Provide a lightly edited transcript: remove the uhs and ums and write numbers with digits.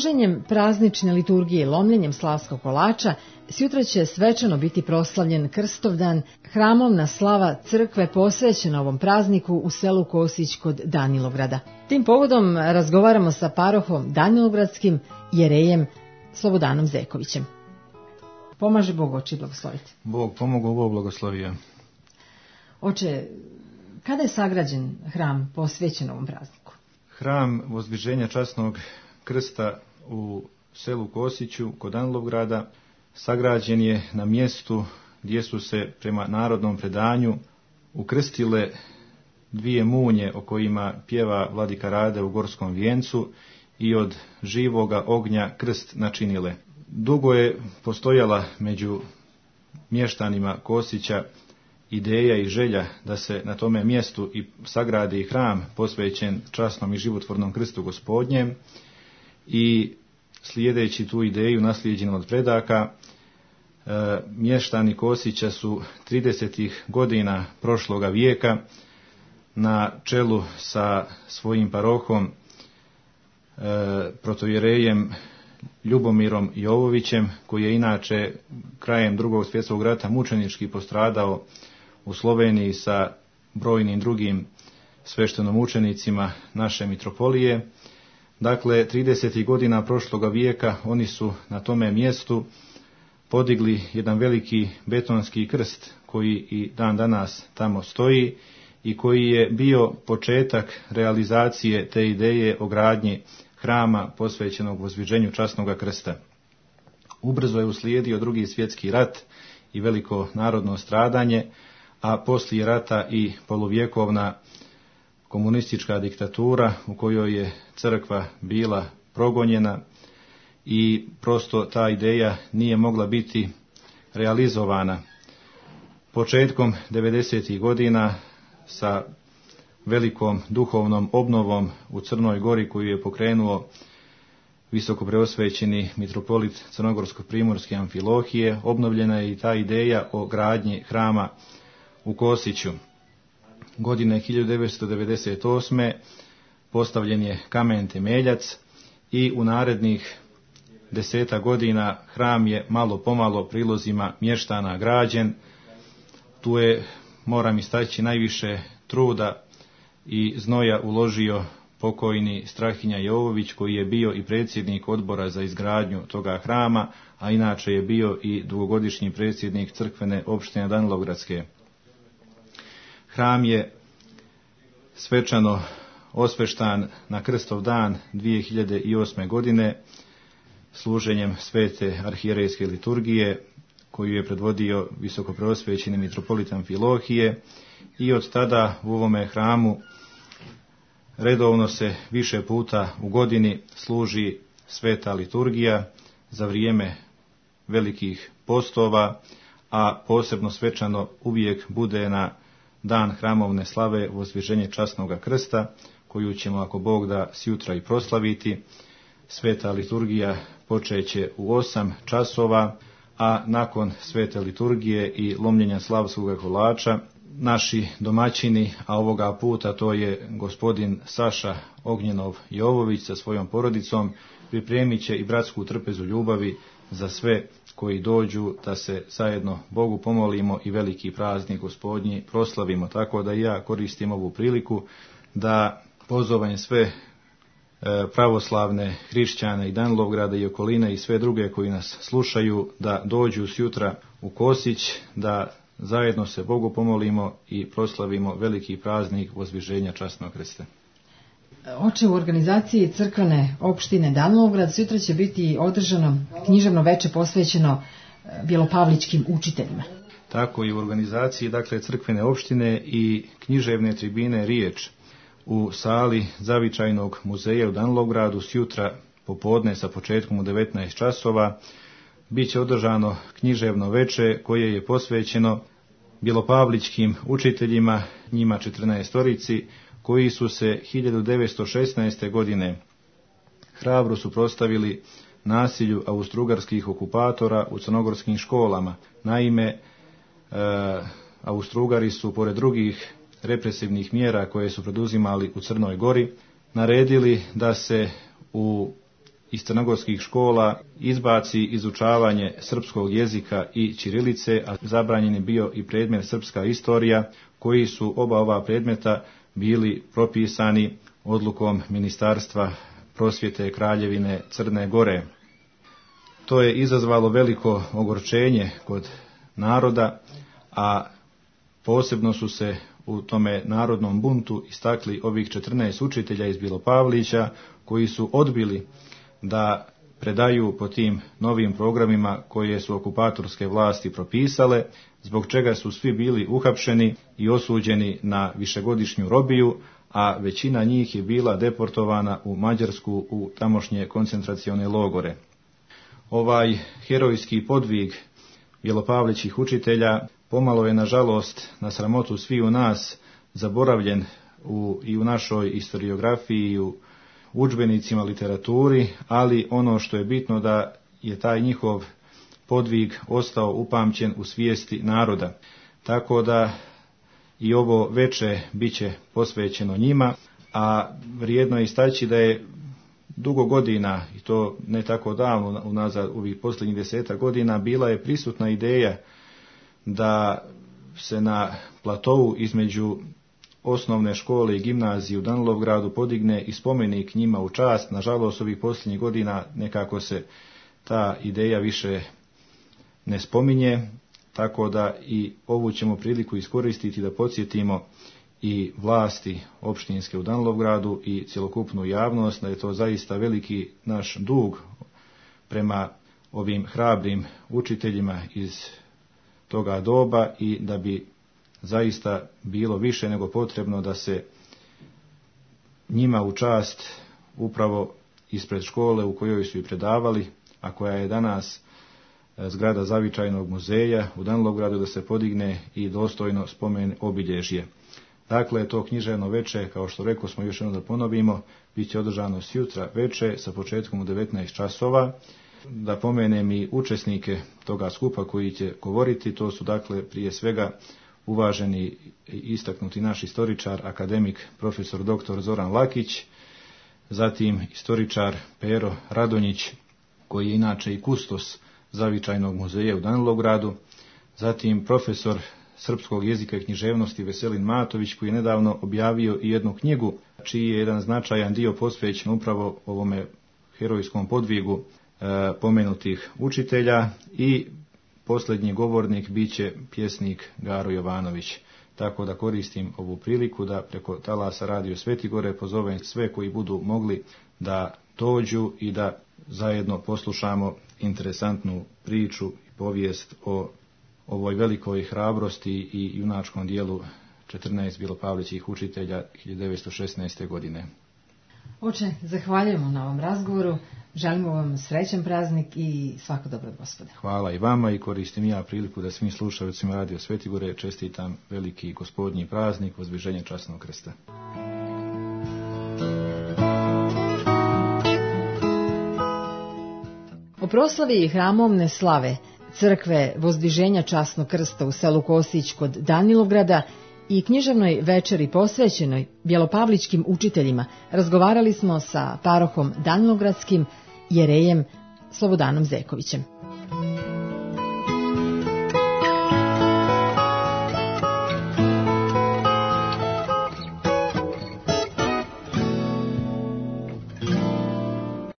služenjem praznične liturgije i lomljenjem slavskog kolača, sjutra će svečano biti proslavljen Krstovdan, hramovna slava crkve posvećena ovom prazniku u selu Kosić kod Danilovgrada. Tim povodom razgovaramo sa parohom Danilovgradskim jerejem Slobodanom Zekovićem. Pomaže Bog, oče, blagosloviti. Bog pomogao, Bog blagoslovio. Oče, kada je sagrađen hram posvećen ovom prazniku? Hram Vozdviženja časnog krsta u selu Kosiću kod Danilovgrada sagrađen je na mjestu gdje su se prema narodnom predanju ukrstile dvije munje o kojima pjeva vladika Rade u Gorskom vijencu i od živoga ognja krst načinile. Dugo je postojala među mještanima Kosića ideja i želja da se na tome mjestu i sagradi hram posvećen časnom i životvornom krstu Gospodnjem, i slijedeći tu ideju naslijeđenu od predaka, mještani Kosića su 30. godina prošloga vijeka na čelu sa svojim parohom protojerejem Ljubomirom Jovovićem, koji je inače krajem Drugog svjetskog rata mučenički postradao u Sloveniji sa brojnim drugim sveštenomučenicima naše mitropolije. Dakle, 30. godina prošloga vijeka oni su na tome mjestu podigli jedan veliki betonski krst koji i dan danas tamo stoji i koji je bio početak realizacije te ideje o gradnji hrama posvećenog Vozdviženju časnog krsta. Ubrzo je uslijedio Drugi svjetski rat i veliko narodno stradanje, a poslije rata i poluvjekovna komunistička diktatura u kojoj je crkva bila progonjena i prosto ta ideja nije mogla biti realizovana. Početkom 90. godina sa velikom duhovnom obnovom u Crnoj Gori koju je pokrenuo visokopreosvećeni mitropolit Crnogorsko-primorske Amfilohije, obnovljena je i ta ideja o gradnji hrama u Kosiću. Godine 1998. postavljen je kamen temeljac i u narednih 10 godina hram je malo pomalo prilozima mještana građen. Tu je, moram istaći, najviše truda i znoja uložio pokojni Strahinja Jovović, koji je bio i predsjednik odbora za izgradnju toga hrama, a inače je bio i dugogodišnji predsjednik crkvene opštine Danilovgradske. Hram je svečano osveštan na Krstov dan 2008. godine služenjem svete arhijerejske liturgije koju je predvodio visokopreosvećeni mitropolit Amfilohije, i od tada u ovome hramu redovno se više puta u godini služi sveta liturgija za vrijeme velikih postova, a posebno svečano uvijek bude na dan hramovne slave Vozdviženje časnog krsta, koju ćemo, ako Bog da, sjutra i proslaviti. Sveta liturgija počeće u 8 časova, a nakon svete liturgije i lomljenja slavskog kolača naši domaćini, a ovoga puta to je gospodin Saša Ognjenov Jovović sa svojom porodicom, pripremit će i bratsku trpezu ljubavi za sve koji dođu da se zajedno Bogu pomolimo i veliki praznik Gospodnji proslavimo. Tako da ja koristim ovu priliku da pozovem sve pravoslavne hrišćane i Danilovgrada i okoline i sve druge koji nas slušaju da dođu sjutra u Kosić, da zajedno se Bogu pomolimo i proslavimo veliki praznik Vozdviženja časnog krsta. Oče, u organizaciji crkvene opštine Danilovgrad sutra će biti održano književno veče posvećeno bjelopavličkim učiteljima. Tako i u organizaciji, dakle, crkvene opštine i književne tribine Riječ u sali Zavičajnog muzeja u Danilovgradu sjutra popodne sa početkom u 19 časova bit će održano književno veče koje je posvećeno bjelopavličkim učiteljima, njima 14-torici, koji su se 1916. godine hrabro suprotstavili nasilju austrougarskih okupatora u crnogorskim školama. Naime, Austrougarci su, pored drugih represivnih mjera koje su preduzimali u Crnoj Gori, naredili da se u iz crnogorskih škola izbaci izučavanje srpskog jezika i ćirilice, a zabranjen je bio i predmet srpska istorija, koji su oba ova predmeta bili propisani odlukom Ministarstva prosvjete Kraljevine Crne Gore. To je izazvalo veliko ogorčenje kod naroda, a posebno su se u tome narodnom buntu istakli ovih 14 učitelja iz Bilopavlića, koji su odbili da predaju po tim novim programima koje su okupatorske vlasti propisale, zbog čega su svi bili uhapšeni i osuđeni na višegodišnju robiju, a većina njih je bila deportovana u Mađarsku u tamošnje koncentracione logore. Ovaj herojski podvig Bjelopavlićih učitelja pomalo je, nažalost, na sramotu svi u nas, zaboravljen i u našoj historiografiji i u udžbenicima, literaturi, ali ono što je bitno da je taj njihov podvig ostao upamćen u svijesti naroda. Tako da i ovo veče bit će posvećeno njima, a vrijedno je istaći da je dugo godina, i to ne tako davno, unazad ovih posljednjih 10 godina, bila je prisutna ideja da se na platovu između osnovne škole i gimnazije u Danilovgradu podigne i spomenik njima u čast. Nažalost, ovih posljednjih godina nekako se ta ideja više ne spominje, tako da i ovu ćemo priliku iskoristiti da podsjetimo i vlasti opštinske u Danilovgradu i cjelokupnu javnost da je to zaista veliki naš dug prema ovim hrabrim učiteljima iz toga doba i da bi zaista bilo više nego potrebno da se njima u čast upravo ispred škole u kojoj su i predavali, a koja je danas zgrada Zavičajnog muzeja u Danilovgradu, da se podigne i dostojno spomen obilježje. Dakle, to književno veče, kao što rekao smo, još jedno da ponovimo, bit će održano sjutra veče sa početkom u 19 časova. Da pomenem i učesnike toga skupa koji će govoriti, to su dakle prije svega uvaženi istaknuti naš istoričar, akademik profesor dr. Zoran Lakić, zatim istoričar Pero Radonjić, koji je inače i kustos Zavičajnog muzeja u Danilovgradu, zatim profesor srpskog jezika i književnosti Veselin Matović, koji je nedavno objavio i jednu knjigu, čiji je jedan značajan dio posvećen upravo ovome herojskom podvigu pomenutih učitelja, i posljednji govornik bit će pjesnik Garo Jovanović. Tako da koristim ovu priliku da preko talasa Radio Svetigore pozovem sve koji budu mogli da dođu i da zajedno poslušamo interesantnu priču i povijest o ovoj velikoj hrabrosti i junačkom dijelu 14 Bjelopavlićih učitelja 1916. godine. Oče, zahvaljujemo na ovom razgovoru, želimo vam srećan praznik i svako dobro, Gospode. Hvala i vama, i koristim ja priliku da svim slušaocima Radio Svetigore čestitam veliki gospodnji praznik Vozdviženja časnog krsta. O proslavi hramovne slave crkve Vozdviženja časnog krsta u selu Kosić kod Danilovgrada i književnoj večeri posvećenoj bjelopavličkim učiteljima razgovarali smo sa parohom Danilovgradskim jerejem Slobodanom Zekovićem.